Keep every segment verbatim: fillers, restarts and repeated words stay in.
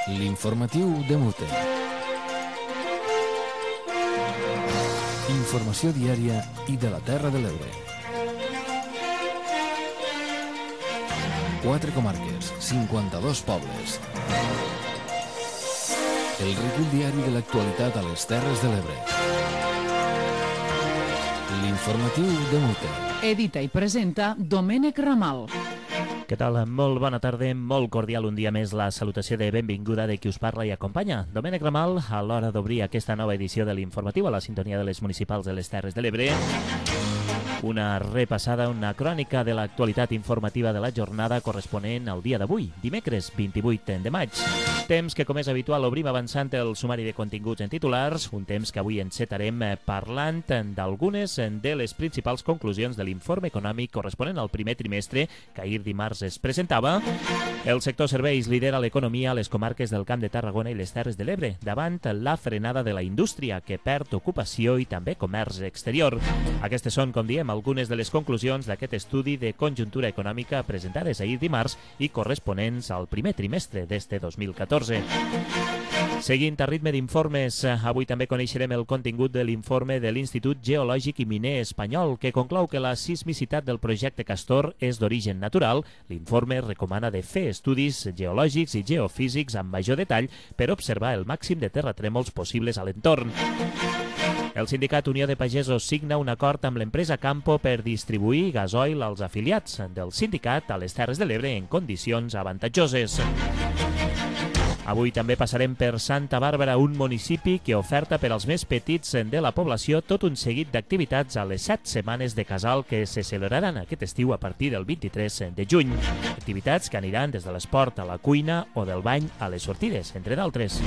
L'informatiu de Mute. Informació diària i de la Terra de l'Ebre. Quatre comarques, cinquanta-dos pobles. El recull diari de l'actualitat a les Terres de l'Ebre. L'informatiu de Mute. Edita i presenta Domènec Ramal. Què tal? Molt bona tarda, molt cordial un dia més la salutació de benvinguda de qui us parla i acompanya. Domènec Ramal, a l'hora d'obrir aquesta nova edició de l'informatiu a la sintonia de les municipals de les Terres de l'Ebre. Una repassada, una crònica de l'actualitat informativa de la jornada corresponent al dia d'avui, dimecres vint-i-vuit de maig. Temps que, com és habitual, obrim avançant el sumari de continguts en titulars, un temps que avui encetarem parlant d'algunes de les principals conclusions de l'informe econòmic corresponent al primer trimestre que ahir dimarts es presentava. El sector serveis lidera l'economia a les comarques del Camp de Tarragona i les Terres de l'Ebre, davant la frenada de la indústria, que perd ocupació i també comerç exterior. Aquestes són, com diem, algunes de les conclusions d'aquest estudi de conjuntura econòmica presentades ahir dimarts i corresponents al primer trimestre d'este dos mil catorze. Seguint a ritme d'informes, avui també coneixerem el contingut de l'informe de l'Institut Geològic i Miner Espanyol, que conclou que la sismicitat del projecte Castor és d'origen natural. L'informe recomana de fer estudis geològics i geofísics amb major detall per observar el màxim de terratrèmols possibles a l'entorn. El sindicat Unió de Pagesos signa un acord amb l'empresa Campo per distribuir gasoil als afiliats del sindicat a les Terres de l'Ebre en condicions avantatjoses. Avui també passarem per Santa Bàrbara, un municipi que oferta per als més petits de la població tot un seguit d'activitats a les set setmanes de casal que se celebraran aquest estiu a partir del vint-i-tres de juny. Activitats que aniran des de l'esport a la cuina o del bany a les sortides, entre d'altres.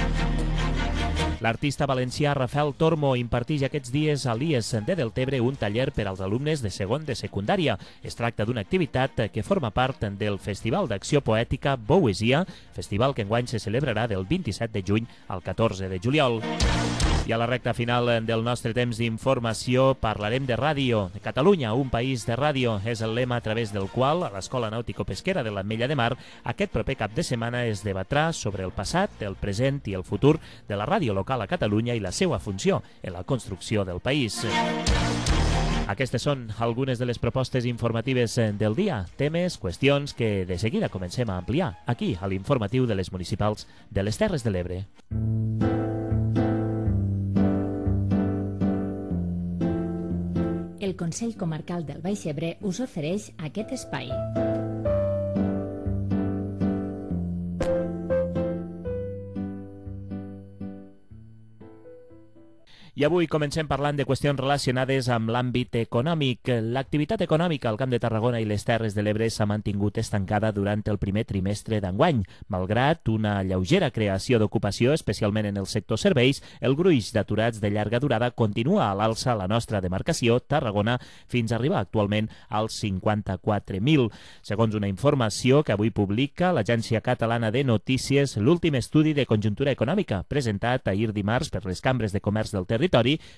L'artista valencià Rafael Tormo imparteix aquests dies a l'I E S de Deltebre un taller per als alumnes de segon de secundària. Es tracta d'una activitat que forma part del Festival d'Acció Poètica Boesia, festival que enguany se celebrarà del vint-i-set de juny al catorze de juliol. I a la recta final del nostre temps d'informació parlarem de ràdio. Catalunya, un país de ràdio, és el lema a través del qual a l'Escola Nàutico-Pesquera de l'Ametlla de Mar aquest proper cap de setmana es debatrà sobre el passat, el present i el futur de la ràdio local a Catalunya i la seva funció en la construcció del país. Aquestes són algunes de les propostes informatives del dia, temes, qüestions que de seguida comencem a ampliar aquí a l'informatiu de les municipals de les Terres de l'Ebre. El Consell Comarcal del Baix Ebre us ofereix aquest espai. I avui comencem parlant de qüestions relacionades amb l'àmbit econòmic. L'activitat econòmica al Camp de Tarragona i les Terres de l'Ebre s'ha mantingut estancada durant el primer trimestre d'enguany. Malgrat una lleugera creació d'ocupació, especialment en el sector serveis, el gruix d'aturats de llarga durada continua a l'alça a la nostra demarcació, Tarragona, fins a arribar actualment als cinquanta-quatre mil. Segons una informació que avui publica l'Agència Catalana de Notícies, l'últim estudi de conjuntura econòmica presentat ahir dimarts per les cambres de comerç del territori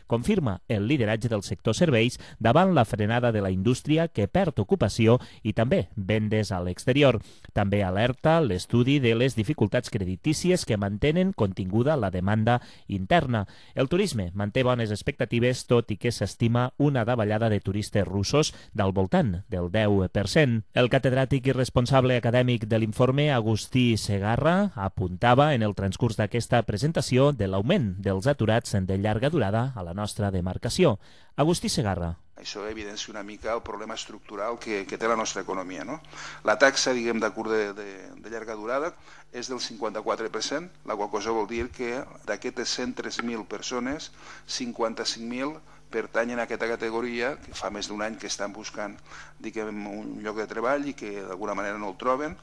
confirma el lideratge del sector serveis davant la frenada de la indústria que perd ocupació i també vendes a l'exterior. També alerta l'estudi de les dificultats creditícies que mantenen continguda la demanda interna. El turisme manté bones expectatives, tot i que s'estima una davallada de turistes russos del voltant del deu per cent. El catedràtic i responsable acadèmic de l'informe, Agustí Segarra, apuntava en el transcurs d'aquesta presentació de l'augment dels aturats de llarga durada a la nostra demarcació. Agustí Segarra. Això evidencia una mica el problema estructural que, que té la nostra economia, no? La taxa, diguem, d'atur de, de, de llarga durada és del cinquanta-quatre per cent, la qual cosa vol dir que d'aquestes cent tres mil persones, cinquanta-cinc mil pertanyen a aquesta categoria, que fa més d'un any que estan buscant, diguem, un lloc de treball i que d'alguna manera no el troben.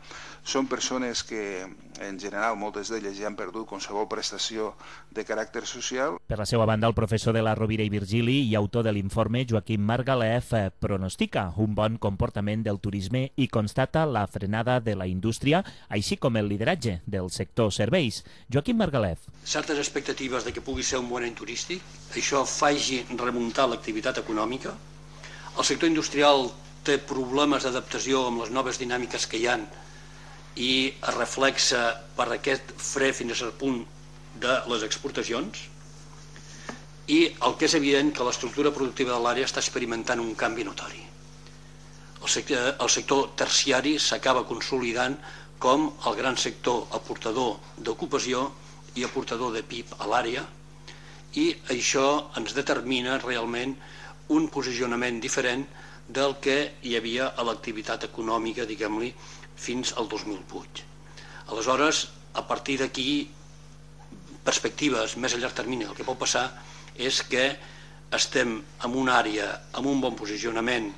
Són persones que, en general, moltes d'elles ja han perdut qualsevol prestació de caràcter social. Per la seva banda, el professor de la Rovira i Virgili i autor de l'informe, Joaquim Margalef, pronostica un bon comportament del turisme i constata la frenada de la indústria, així com el lideratge del sector serveis. Joaquim Margalef. Certes expectatives de que pugui ser un bon any turístic, això faci remuntar l'activitat econòmica. El sector industrial té problemes d'adaptació amb les noves dinàmiques que hi ha i es reflexa per aquest fre fins a cert punt de les exportacions, i el que és evident que l'estructura productiva de l'àrea està experimentant un canvi notori. El sector, el sector terciari s'acaba consolidant com el gran sector aportador d'ocupació i aportador de P I B a l'àrea, i això ens determina realment un posicionament diferent del que hi havia a l'activitat econòmica, diguem-li, fins al dos mil vuit. Aleshores, a partir d'aquí, perspectives més a llarg termini, el que pot passar és que estem en una àrea amb un bon posicionament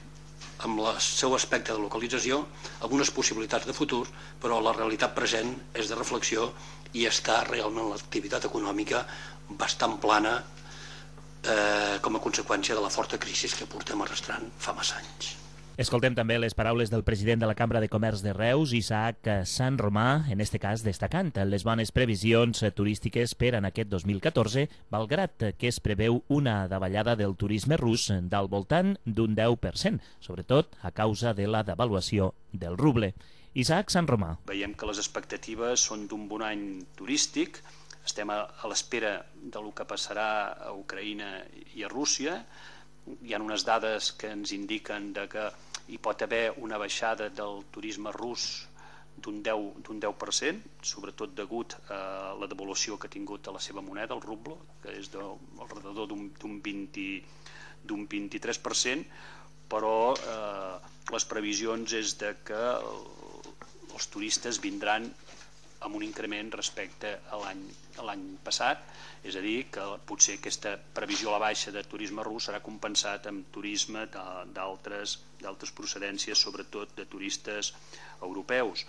amb el seu aspecte de localització, amb unes possibilitats de futur, però la realitat present és de reflexió i està realment l'activitat econòmica bastant plana eh, com a conseqüència de la forta crisi que portem arrastrant fa massa anys. Escoltem també les paraules del president de la Cambra de Comerç de Reus, Isaac Sant Romà, en este cas destacant les bones previsions turístiques per en aquest dos mil catorze, malgrat que es preveu una davallada del turisme rus del voltant d'un deu per cent, sobretot a causa de la devaluació del ruble. Isaac Sant Romà. Veiem que les expectatives són d'un bon any turístic, estem a, a l'espera del que passarà a Ucraïna i a Rússia. Hi ha unes dades que ens indiquen de que hi pot haver una baixada del turisme rus d'un deu per cent, sobretot degut a la devaluació que ha tingut a la seva moneda, el ruble, que és de, al redador d'un vint-i-tres per cent, però eh, les previsions és de que els turistes vindran amb un increment respecte a l'any passat, és a dir, que potser aquesta previsió a la baixa de turisme rus serà compensat amb turisme d'altres procedències, sobretot de turistes europeus.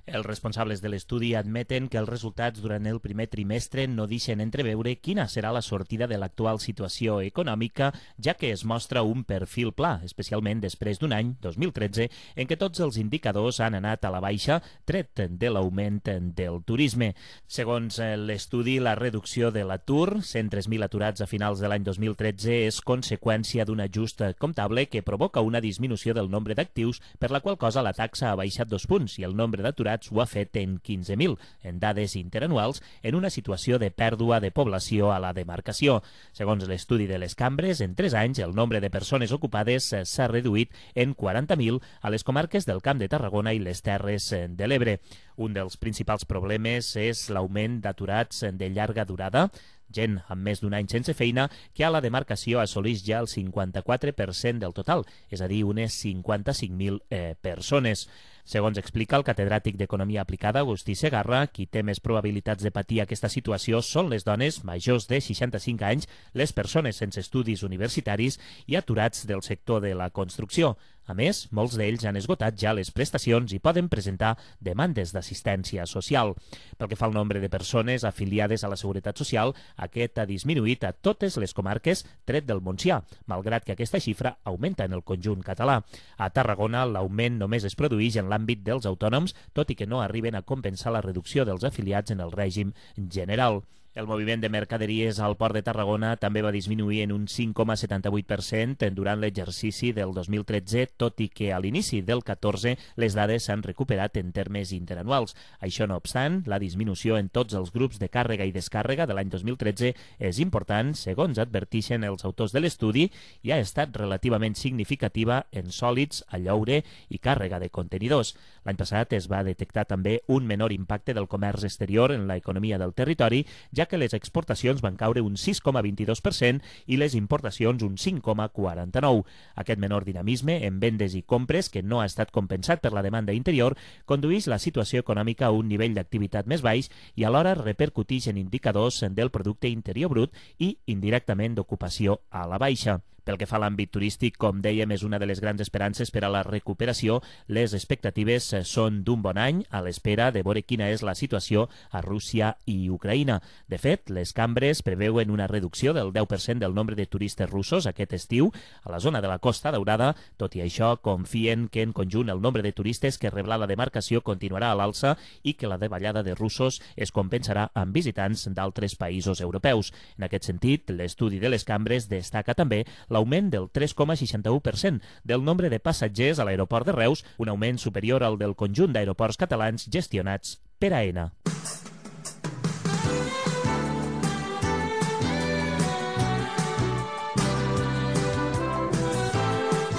Els responsables de l'estudi admeten que els resultats durant el primer trimestre no deixen entreveure quina serà la sortida de l'actual situació econòmica, ja que es mostra un perfil pla, especialment després d'un any, dos mil tretze, en què tots els indicadors han anat a la baixa, tret de l'augment del turisme. Segons l'estudi, la reducció de l'atur, cent tres mil aturats a finals de l'any dos mil tretze, és conseqüència d'un ajust comptable que provoca una disminució del nombre d'actius, per la qual cosa la taxa ha baixat dos punts i el nombre d'aturats ho ha fet en quinze mil, en dades interanuals, en una situació de pèrdua de població a la demarcació. Segons l'estudi de les cambres, en tres anys el nombre de persones ocupades s'ha reduït en quaranta mil a les comarques del Camp de Tarragona i les Terres de l'Ebre. Un dels principals problemes és l'augment d'aturats de llarga durada, gent amb més d'un any sense feina, que a la demarcació assoleix ja el cinquanta-quatre per cent del total, és a dir, unes cinquanta-cinc mil eh, persones. Segons explica el catedràtic d'Economia Aplicada, Agustí Segarra, qui té més probabilitats de patir aquesta situació són les dones majors de seixanta-cinc anys, les persones sense estudis universitaris i aturats del sector de la construcció. A més, molts d'ells han esgotat ja les prestacions i poden presentar demandes d'assistència social. Pel que fa al nombre de persones afiliades a la Seguretat Social, aquest ha disminuït a totes les comarques, tret del Montsià, malgrat que aquesta xifra augmenta en el conjunt català. A Tarragona, l'augment només es produeix en l'àmbit dels autònoms, tot i que no arriben a compensar la reducció dels afiliats en el règim general. El moviment de mercaderies al Port de Tarragona també va disminuir en un cinc coma setanta-vuit per cent durant l'exercici del dos mil tretze, tot i que a l'inici del catorze les dades s'han recuperat en termes interanuals. Això no obstant, la disminució en tots els grups de càrrega i descàrrega de l'any dos mil tretze és important, segons advertixen els autors de l'estudi, i ha estat relativament significativa en sòlids, a lloure i càrrega de contenidors. L'any passat es va detectar també un menor impacte del comerç exterior en l'economia del territori, ja que les exportacions van caure un sis coma vint-i-dos per cent i les importacions un cinc coma quaranta-nou per cent. Aquest menor dinamisme en vendes i compres, que no ha estat compensat per la demanda interior, condueix la situació econòmica a un nivell d'activitat més baix i alhora repercuteix en indicadors del producte interior brut i, indirectament, d'ocupació a la baixa. Pel que fa a l'àmbit turístic, com dèiem, és una de les grans esperances per a la recuperació. Les expectatives són d'un bon any, a l'espera de veure quina és la situació a Rússia i Ucraïna. De fet, les cambres preveuen una reducció del deu per cent del nombre de turistes russos aquest estiu a la zona de la Costa Daurada. Tot i això, confien que en conjunt el nombre de turistes que rebrà la demarcació continuarà a l'alça i que la davallada de russos es compensarà amb visitants d'altres països europeus. En aquest sentit, l'estudi de les cambres destaca també la l'augment del tres coma seixanta-u per cent del nombre de passatgers a l'aeroport de Reus, un augment superior al del conjunt d'aeroports catalans gestionats per AENA.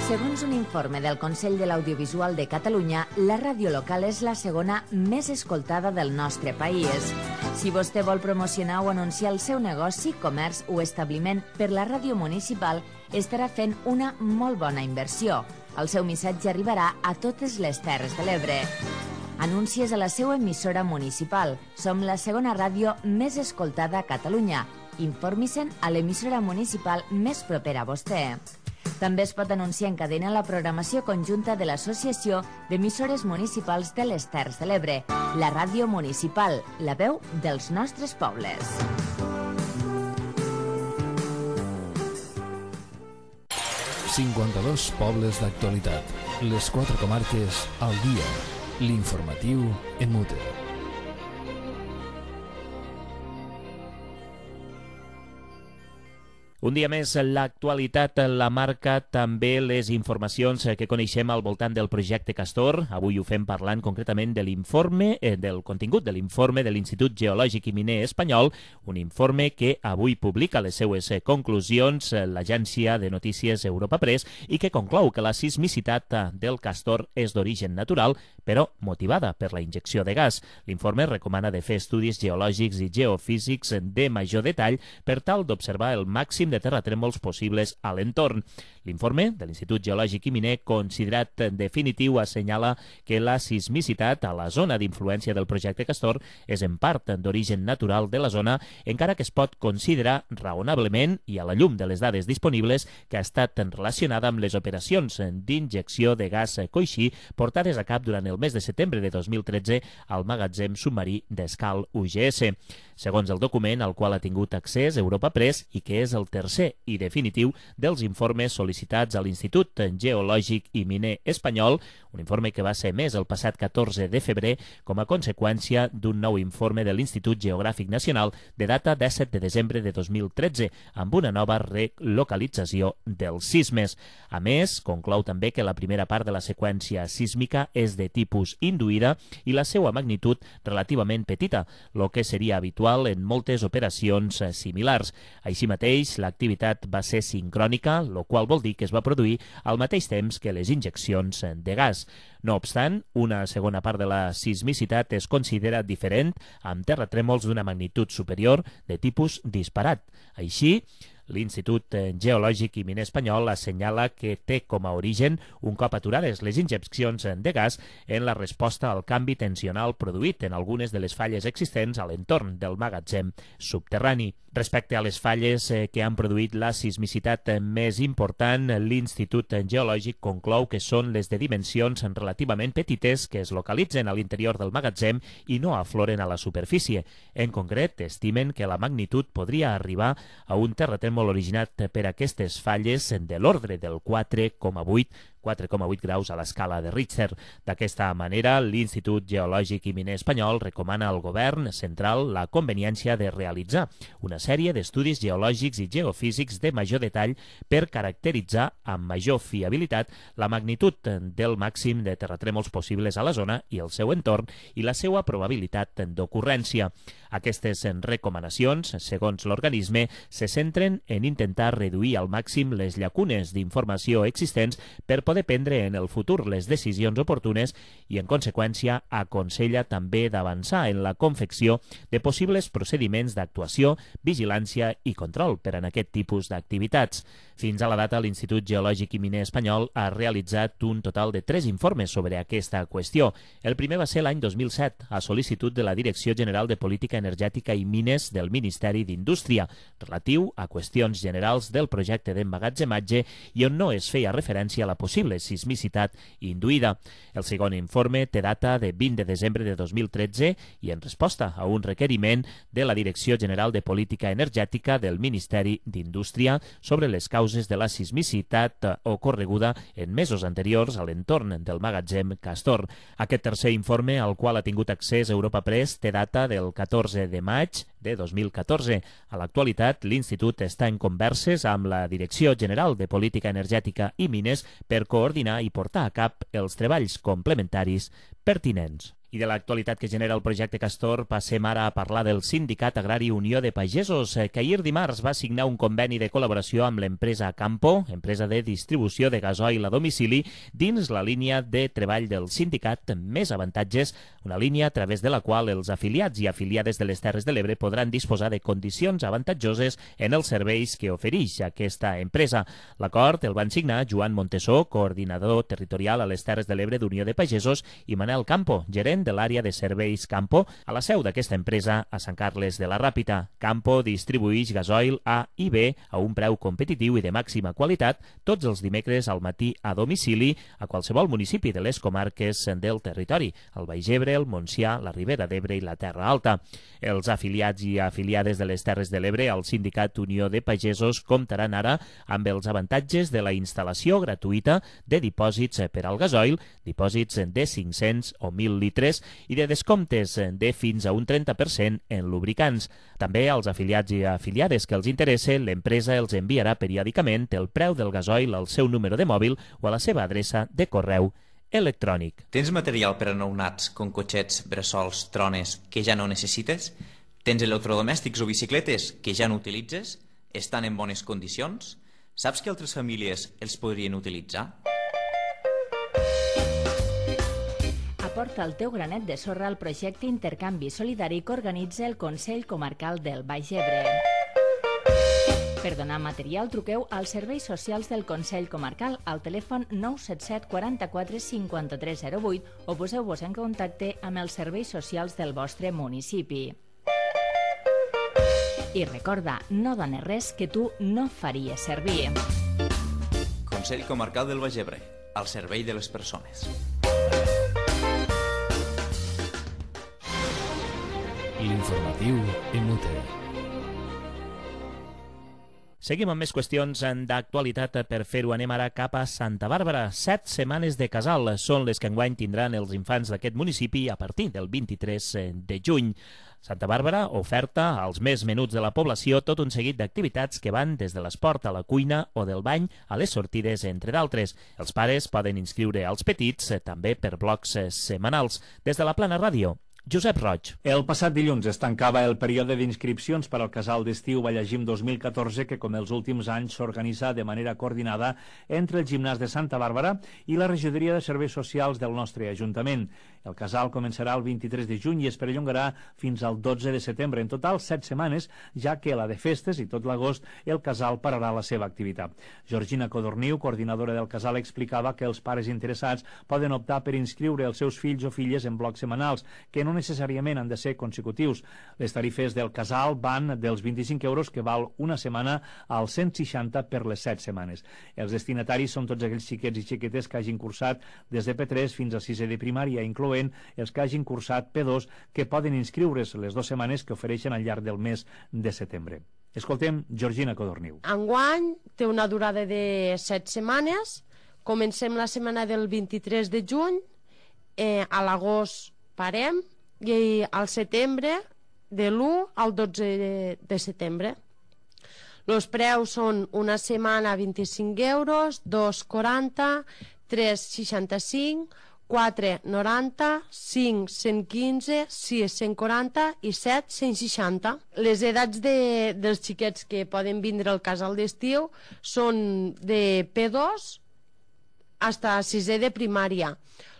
Segons un informe del Consell de l'Audiovisual de Catalunya, la ràdio local és la segona més escoltada del nostre país. Si vostè vol promocionar o anunciar el seu negoci, comerç o establiment per la ràdio municipal, estarà fent una molt bona inversió. El seu missatge arribarà a totes les Terres de l'Ebre. Anuncies a la seva emissora municipal. Som la segona ràdio més escoltada a Catalunya. Informi-se'n a l'emissora municipal més propera a vostè. També es pot anunciar en cadena la programació conjunta de l'Associació d'Emissores Municipals de les Terres de l'Ebre, la ràdio municipal, la veu dels nostres pobles. cinquanta-dos pobles d'actualitat. Les quatre comarques al dia. L'informatiu en mute. Un dia més, l'actualitat la marca també les informacions que coneixem al voltant del projecte Castor. Avui ho fem parlant concretament de l'informe, eh, del contingut de l'informe de l'Institut Geològic i Miner Espanyol, un informe que avui publica les seues conclusions l'agència de notícies Europa Press i que conclou que la sismicitat del Castor és d'origen natural, però motivada per la injecció de gas. L'informe recomana de fer estudis geològics i geofísics de major detall per tal d'observar el màxim de terratrèmols possibles a l'entorn. L'informe de l'Institut Geològic i Miner, considerat definitiu, assenyala que la sismicitat a la zona d'influència del projecte Castor és en part d'origen natural de la zona, encara que es pot considerar raonablement, i a la llum de les dades disponibles, que ha estat relacionada amb les operacions d'injecció de gas coixí portades a cap durant el mes de setembre de dos mil tretze al magatzem submarí d'Escal U G S. Segons el document al qual ha tingut accés Europa Press i que és el tercer i definitiu dels informes sol·licitats a l'Institut Geològic i Miner Espanyol, un informe que va ser emès el passat catorze de febrer com a conseqüència d'un nou informe de l'Institut Geogràfic Nacional de data disset de desembre de dos mil tretze, amb una nova relocalització dels sismes. A més, conclou també que la primera part de la seqüència sísmica és de tipus induïda i la seva magnitud relativament petita, el que seria habitual en moltes operacions similars. Així mateix, l'activitat va ser sincrònica, el qual vol dir que es va produir al mateix temps que les injeccions de gas. No obstant, una segona part de la sismicitat es considera diferent, amb terratrèmols d'una magnitud superior de tipus disparat. Així, l'Institut Geològic i Miner Espanyol assenyala que té com a origen, un cop aturades les injeccions de gas, en la resposta al canvi tensional produït en algunes de les falles existents a l'entorn del magatzem subterrani. Respecte a les falles que han produït la sismicitat més important, l'Institut Geològic conclou que són les de dimensions relativament petites que es localitzen a l'interior del magatzem i no afloren a la superfície. En concret, estimen que la magnitud podria arribar a un terratrèmol originat per aquestes falles de l'ordre del quatre coma vuit quatre coma vuit graus a l'escala de Richter. D'aquesta manera, l'Institut Geològic i Miner Espanyol recomana al govern central la conveniència de realitzar una sèrie d'estudis geològics i geofísics de major detall per caracteritzar amb major fiabilitat la magnitud del màxim de terratrèmols possibles a la zona i el seu entorn i la seva probabilitat d'ocurrència. Aquestes recomanacions, segons l'organisme, se centren en intentar reduir al màxim les llacunes d'informació existents per poder prendre en el futur les decisions oportunes i, en conseqüència, aconsella també d'avançar en la confecció de possibles procediments d'actuació, vigilància i control per en aquest tipus d'activitats. Fins a la data, l'Institut Geològic i Miner Espanyol ha realitzat un total de tres informes sobre aquesta qüestió. El primer va ser l'any dos mil set, a sol·licitud de la Direcció General de Política Energètica i Mines del Ministeri d'Indústria, relatiu a qüestions generals del projecte d'emmagatzematge i on no es feia referència a la possible sismicitat induïda. El segon informe té data de vint de desembre de dos mil tretze i en resposta a un requeriment de la Direcció General de Política Energètica del Ministeri d'Indústria sobre les causes de la sismicitat ocorreguda en mesos anteriors a l'entorn del magatzem Castor. Aquest tercer informe, al qual ha tingut accés Europa Press, té data del catorze de maig de dos mil catorze. A l'actualitat, l'Institut està en converses amb la Direcció General de Política Energètica i Mines per coordinar i portar a cap els treballs complementaris pertinents. I de l'actualitat que genera el projecte Castor passem ara a parlar del Sindicat Agrari Unió de Pagesos, que ahir dimarts va signar un conveni de col·laboració amb l'empresa Campo, empresa de distribució de gasoil a domicili, dins la línia de treball del sindicat Més Avantatges, una línia a través de la qual els afiliats i afiliades de les Terres de l'Ebre podran disposar de condicions avantatjoses en els serveis que ofereix aquesta empresa. L'acord el van signar Joan Montesó, coordinador territorial a les Terres de l'Ebre d'Unió de Pagesos, i Manel Campo, gerent de l'àrea de serveis Campo, a la seu d'aquesta empresa a Sant Carles de la Ràpita. Campo distribueix gasoil A i B a un preu competitiu i de màxima qualitat tots els dimecres al matí a domicili a qualsevol municipi de les comarques del territori, el Baix Ebre, el Montsià, la Ribera d'Ebre i la Terra Alta. Els afiliats i afiliades de les Terres de l'Ebre al Sindicat Unió de Pagesos comptaran ara amb els avantatges de la instal·lació gratuïta de dipòsits per al gasoil, dipòsits de cinc-cents o mil litres i de descomptes de fins a un trenta per cent en lubricants. També als afiliats i afiliades que els interesse, l'empresa els enviarà periòdicament el preu del gasoil al seu número de mòbil o a la seva adreça de correu electrònic. Tens material per a nounats com cotxets, bressols, trones que ja no necessites? Tens electrodomèstics o bicicletes que ja no utilitzes? Estan en bones condicions? Saps que altres famílies els podrien utilitzar? Aporta el teu granet de sorra al projecte Intercanvi Solidari que organitza el Consell Comarcal del Baix Ebre. Per donar material, truqueu als serveis socials del Consell Comarcal al telèfon nou set set quaranta-quatre cinquanta-tres zero vuit o poseu-vos en contacte amb els serveis socials del vostre municipi. I recorda, no dones res que tu no faries servir. Consell Comarcal del Baix Ebre, al servei de les persones. L'informatiu en Mute. Seguim amb més qüestions d'actualitat. Per fer-ho anem ara cap a Santa Bàrbara. Set setmanes de casal són les que enguany tindran els infants d'aquest municipi a partir del vint-i-tres de juny. Santa Bàrbara oferta als més menuts de la població tot un seguit d'activitats que van des de l'esport a la cuina o del bany a les sortides, entre d'altres. Els pares poden inscriure als petits també per blocs setmanals. Des de la Plana Ràdio, Josep Roig. El passat dilluns es tancava el període d'inscripcions per al casal d'estiu Vallagim dos mil catorze, que com els últims anys s'organitza de manera coordinada entre el gimnàs de Santa Bàrbara i la regidoria de serveis socials del nostre Ajuntament. El casal començarà el vint-i-tres de juny i es perllongarà fins al dotze de setembre. En total, set setmanes, ja que la de festes i tot l'agost el casal pararà la seva activitat. Georgina Codorniu, coordinadora del casal, explicava que els pares interessats poden optar per inscriure els seus fills o filles en blocs setmanals, que no necessàriament han de ser consecutius. Les tarifes del casal van dels vint-i-cinc euros que val una setmana als cent seixanta per les set setmanes. Els destinataris són tots aquells xiquets i xiquetes que hagin cursat des de P tres fins a sisè de primària, incloent els que hagin cursat P dos, que poden inscriure's les dues setmanes que ofereixen al llarg del mes de setembre. Escoltem Georgina Codorniu. Enguany té una durada de set setmanes. Comencem la setmana del vint-i-tres de juny, eh, a l'agost parem, i al setembre de l'u al dotze de, de setembre. Els preus són una setmana vint-i-cinc euros, dos quaranta, tres seixanta-cinc, quatre noranta, cinc cent quinze, sis cent quaranta i set cent seixanta. Les edats de, dels xiquets que poden vindre al casal d'estiu són de P dos fins a sisè de primària.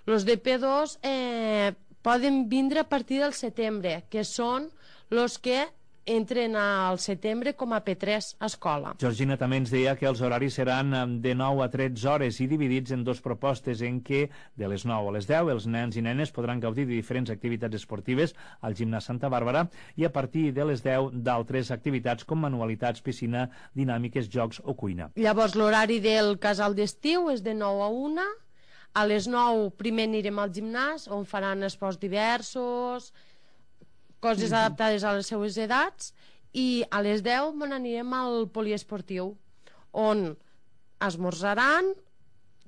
Els de P dos eh, poden vindre a partir del setembre, que són els que entren al setembre com a P tres a escola. Georgina també ens deia que els horaris seran de nou a tretze hores i dividits en dues propostes, en què de les nou a les deu els nens i nenes podran gaudir de diferents activitats esportives al gimnàs Santa Bàrbara i a partir de les deu d'altres activitats com manualitats, piscina, dinàmiques, jocs o cuina. Llavors l'horari del casal d'estiu és de nou a una. A les nou primer anirem al gimnàs, on faran esports diversos, coses adaptades a les seues edats, i a les deu me n'anirem al poliesportiu, on esmorzaran,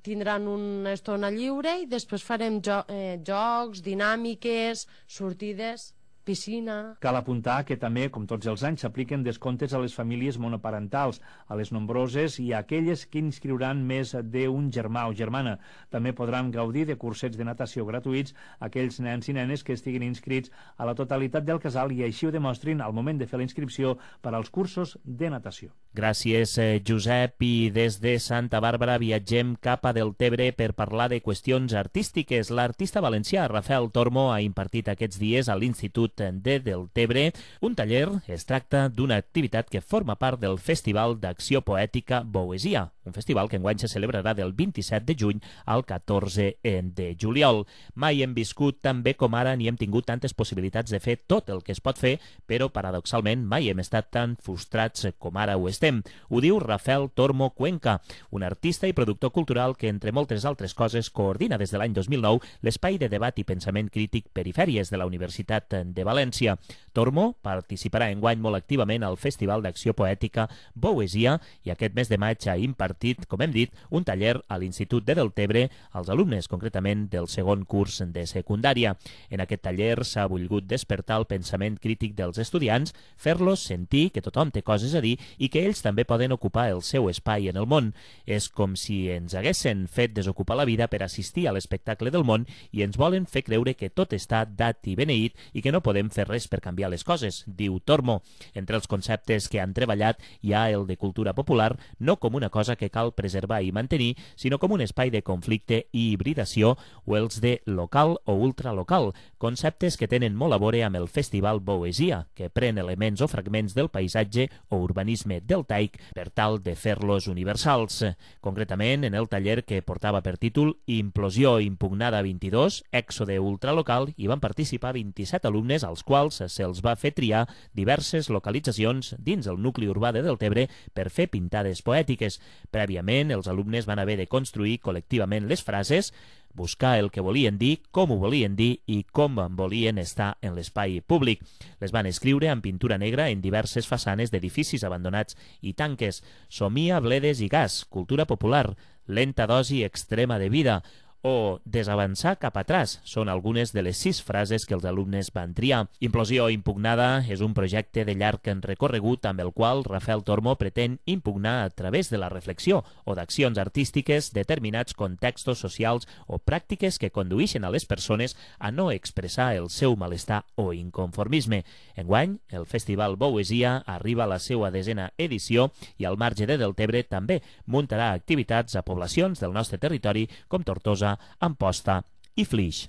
tindran una estona lliure i després farem jo eh, jocs, dinàmiques, sortides. piscina... Cal apuntar que també, com tots els anys, s'apliquen descomptes a les famílies monoparentals, a les nombroses i a aquelles que inscriuran més d'un germà o germana. També podran gaudir de cursets de natació gratuïts aquells nens i nenes que estiguin inscrits a la totalitat del casal i així ho demostrin al moment de fer la inscripció per als cursos de natació. Gràcies, Josep. I des de Santa Bàrbara viatgem cap a Deltebre per parlar de qüestions artístiques. L'artista valencià Rafael Tormo ha impartit aquests dies a l'Institut de Deltebre un taller. Es tracta d'una activitat que forma part del Festival d'Acció Poètica Boesia, un festival que enguany se celebrarà del vint-i-set de juny al catorze de juliol. Mai hem viscut tan bé com ara ni hem tingut tantes possibilitats de fer tot el que es pot fer, però paradoxalment mai hem estat tan frustrats com ara ho estem. Ho diu Rafael Tormo Cuenca, un artista i productor cultural que, entre moltes altres coses, coordina des de l'any dos mil nou l'espai de debat i pensament crític Perifèries de la Universitat de València. Tormo participarà enguany molt activament al Festival d'Acció Poètica Boesia i aquest mes de maig ha impartit, com hem dit, un taller a l'Institut de Deltebre als alumnes, concretament del segon curs de secundària. En aquest taller s'ha volgut despertar el pensament crític dels estudiants, fer-los sentir que tothom té coses a dir i que ells també poden ocupar el seu espai en el món. És com si ens haguessin fet desocupar la vida per assistir a l'espectacle del món i ens volen fer creure que tot està dat i beneït i que no podem fer res per canviar les coses, diu Tormo. Entre els conceptes que han treballat hi ha el de cultura popular, no com una cosa que cal preservar i mantenir, sinó com un espai de conflicte i hibridació, o els de local o ultralocal, conceptes que tenen molt a veure amb el Festival Boesia, que pren elements o fragments del paisatge o urbanisme deltaic per tal de fer-los universals. Concretament, en el taller que portava per títol Implosió impugnada vint-i-dos, èxode ultralocal, hi van participar vint-i-set alumnes als quals se'ls va fer triar diverses localitzacions dins el nucli urbà de Deltebre per fer pintades poètiques. Prèviament, els alumnes van haver de construir col·lectivament les frases, buscar el que volien dir, com ho volien dir i com volien estar en l'espai públic. Les van escriure amb pintura negra en diverses façanes d'edificis abandonats i tanques. Somia, bledes i gas, cultura popular, lenta dosi extrema de vida, o desavançar cap atràs són algunes de les sis frases que els alumnes van triar. Implosió impugnada és un projecte de llarg recorregut amb el qual Rafael Tormo pretén impugnar a través de la reflexió o d'accions artístiques determinats contextos socials o pràctiques que condueixen a les persones a no expressar el seu malestar o inconformisme. Enguany, el Festival Boesia arriba a la seva desena edició i al marge de Deltebre també muntarà activitats a poblacions del nostre territori com Tortosa, Amposta i Flix.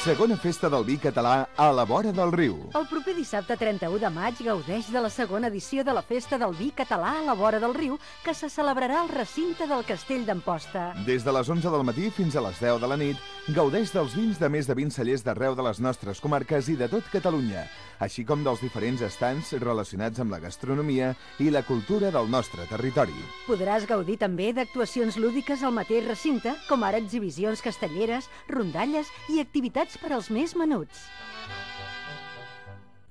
Segona festa del vi català a la vora del riu. El proper dissabte trenta-u de maig gaudeix de la segona edició de la Festa del Vi català a la vora del riu, que se celebrarà al recinte del Castell d'Amposta. Des de les onze del matí fins a les deu de la nit, gaudeix dels vins de més de vint cellers d'arreu de les nostres comarques i de tot Catalunya, així com dels diferents estants relacionats amb la gastronomia i la cultura del nostre territori. Podràs gaudir també d'actuacions lúdiques al mateix recinte, com ara exhibicions castelleres, rondalles i activitats per als més menuts.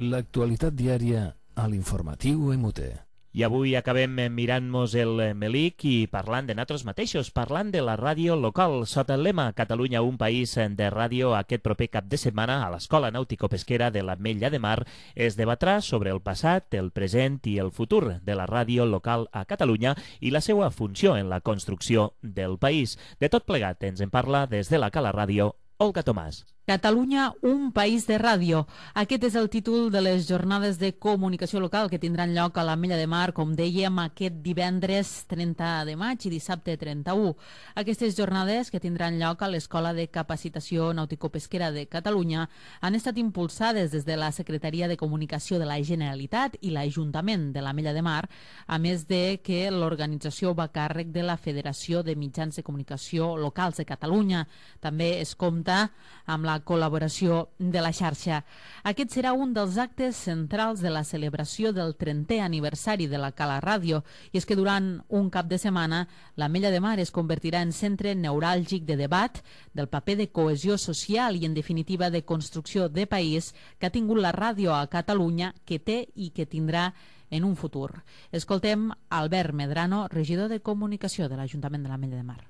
L'actualitat diària a l'informatiu M U T. I avui acabem mirant-nos el melic i parlant de nosaltres mateixos, parlant de la ràdio local. Sota el lema Catalunya, un país de ràdio, aquest proper cap de setmana a l'Escola Nàutico-Pesquera de l'Ametlla de Mar es debatrà sobre el passat, el present i el futur de la ràdio local a Catalunya i la seva funció en la construcció del país. De tot plegat ens en parla des de la Cala Ràdio, Olga Tomàs. Catalunya, un país de ràdio. Aquest és el títol de les jornades de comunicació local que tindran lloc a l'Ametlla de Mar, com dèiem, aquest divendres trenta de maig i dissabte trenta-u. Aquestes jornades, que tindran lloc a l'Escola de Capacitació Nàutico-Pesquera de Catalunya, han estat impulsades des de la Secretaria de Comunicació de la Generalitat i l'Ajuntament de l'Ametlla de Mar, a més de que l'organització va a càrrec de la Federació de Mitjans de Comunicació Locals de Catalunya. També es compta amb la col·laboració de la xarxa. Aquest serà un dels actes centrals de la celebració del trentè aniversari de la Cala Ràdio, i és que durant un cap de setmana l'Ametlla de Mar es convertirà en centre neuràlgic de debat, del paper de cohesió social i, en definitiva, de construcció de país que ha tingut la ràdio a Catalunya, que té i que tindrà en un futur. Escoltem Albert Medrano, regidor de Comunicació de l'Ajuntament de l'Ametlla de Mar.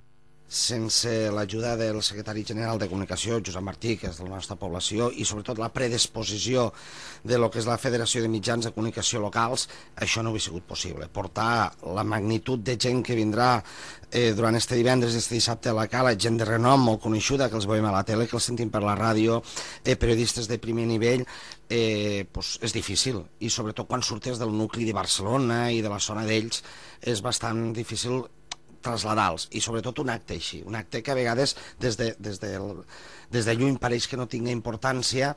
sense l'ajuda del secretari general de Comunicació, Josep Martí, que és de la nostra població, i sobretot la predisposició de lo que és la Federació de Mitjans de Comunicació Locals, això no hauria sigut possible. Portar la magnitud de gent que vindrà eh, durant este divendres i este dissabte a la Cala, gent de renom molt coneixuda, que els veiem a la tele, que els sentim per la ràdio, eh, periodistes de primer nivell, eh, pues és difícil. I sobretot quan surtes del nucli de Barcelona i de la zona d'ells, és bastant difícil traslladar-los, i sobretot un acte així, un acte que a vegades des de, des de, des de lluny pareix que no tinga importància,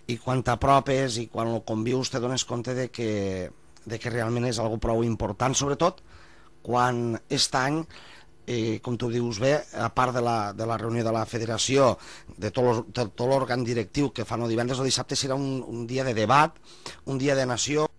i quan t'apropes i quan ho convius te dones compte de que, de que realment és algo prou important, sobretot quan aquest any, eh, com tu dius bé, a part de la, de la reunió de la federació, de tot, tot l'òrgan directiu que fan el divendres o dissabte, serà un, un dia de debat, un dia de nació.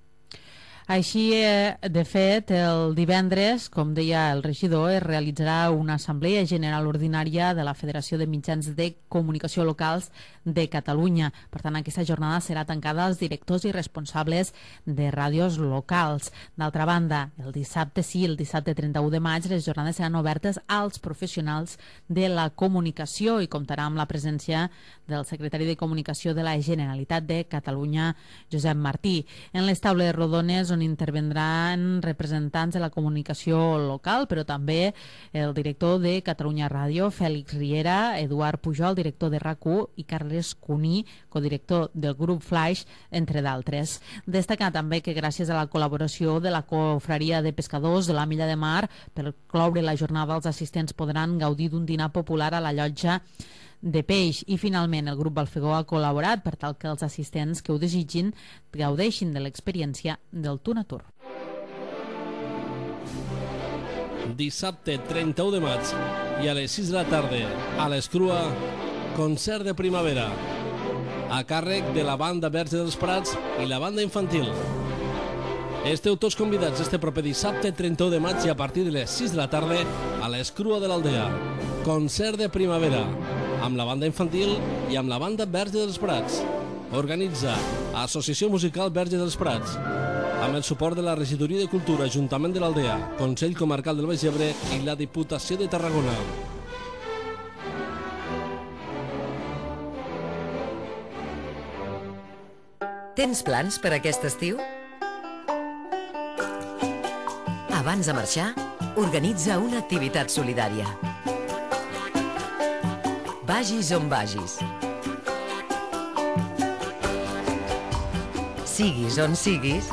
Així, de fet, el divendres, com deia el regidor, es realitzarà una assemblea general ordinària de la Federació de Mitjans de Comunicació Locals de Catalunya. Per tant, aquesta jornada serà tancada als directors i responsables de ràdios locals. D'altra banda, el dissabte, sí, el dissabte trenta-u de maig, les jornades seran obertes als professionals de la comunicació i comptarà amb la presència del secretari de Comunicació de la Generalitat de Catalunya, Josep Martí. En les taules rodones on intervendran representants de la comunicació local, però també el director de Catalunya Ràdio, Fèlix Riera, Eduard Pujol, director de RAC u, i Carles Cuní, codirector del grup Flaix, entre d'altres. Destacar també que gràcies a la col·laboració de la Confraria de Pescadors de la Milla de Mar, per cloure la jornada els assistents podran gaudir d'un dinar popular a la llotja de peix. I finalment el grup Balfegó ha col·laborat per tal que els assistents que ho desitgin gaudeixin de l'experiència del Tuna Tour. Dissabte trenta-u de maig i a les sis de la tarda a l'Escrua, concert de primavera a càrrec de la banda Verge dels Prats i la banda infantil. Esteu tots convidats este proper dissabte trenta-u de maig i a partir de les sis de la tarda a l'Escrua de l'Aldea. Concert de primavera amb la banda infantil i amb la banda Verge dels Prats. Organitza Associació Musical Verge dels Prats, amb el suport de la Regidoria de Cultura, Ajuntament de l'Aldea, Consell Comarcal del Baix Ebre i la Diputació de Tarragona. Tens plans per aquest estiu? Abans de marxar, organitza una activitat solidària. Vagis on vagis. Siguis on siguis,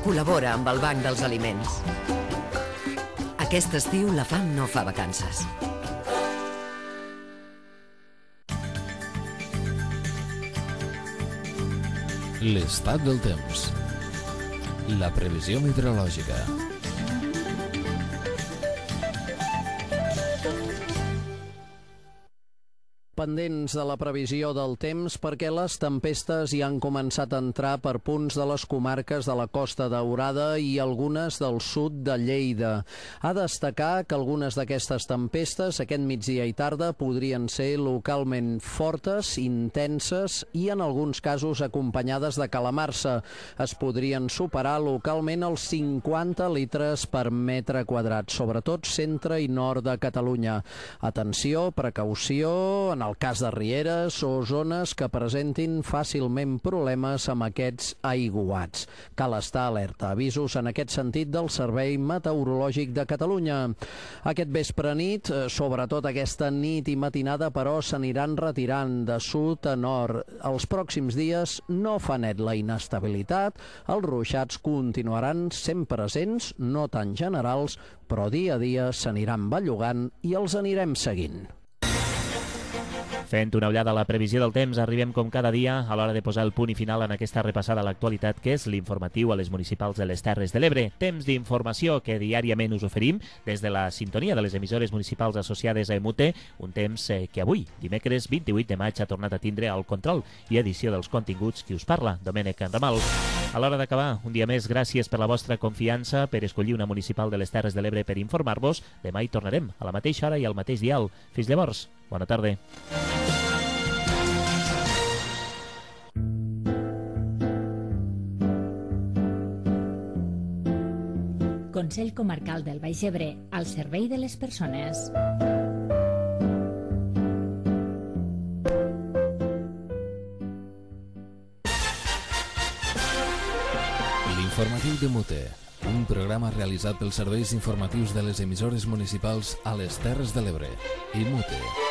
col·labora amb el Banc dels Aliments. Aquest estiu la fam no fa vacances. L'estat del temps. La previsió meteorològica. Pendents de la previsió del temps perquè les tempestes hi han començat a entrar per punts de les comarques de la Costa Daurada i algunes del sud de Lleida. A destacar que algunes d'aquestes tempestes aquest migdia i tarda podrien ser localment fortes, intenses i en alguns casos acompanyades de calamarsa. Es podrien superar localment els cinquanta litres per metre quadrat, sobretot centre i nord de Catalunya. Atenció, precaució en el cas de rieres o zones que presentin fàcilment problemes amb aquests aiguats. Cal estar alerta. Avisos en aquest sentit del Servei Meteorològic de Catalunya. Aquest vespre nit, sobretot aquesta nit i matinada, però s'aniran retirant de sud a nord. Els pròxims dies no fa net la inestabilitat, els ruixats continuaran sent presents, no tan generals, però dia a dia s'aniran bellugant i els anirem seguint. Fent una ullada a la previsió del temps, arribem com cada dia a l'hora de posar el punt i final en aquesta repassada a l'actualitat, que és l'informatiu a les municipals de les Terres de l'Ebre. Temps d'informació que diàriament us oferim des de la sintonia de les emissores municipals associades a Emute, un temps que avui, dimecres vint-i-vuit de maig, ha tornat a tindre el control i edició dels continguts qui us parla, Domènec Enramal. A l'hora d'acabar, un dia més, gràcies per la vostra confiança, per escollir una municipal de les Terres de l'Ebre per informar-vos. Demà hi tornarem, a la mateixa hora i al mateix dial. Fins llavors, bona tarda. Consell Consell Comarcal del Baix Ebre, al servei de les persones. L'informatiu de Mute, un programa realitzat pels serveis informatius de les emissores municipals a les Terres de l'Ebre i Mute.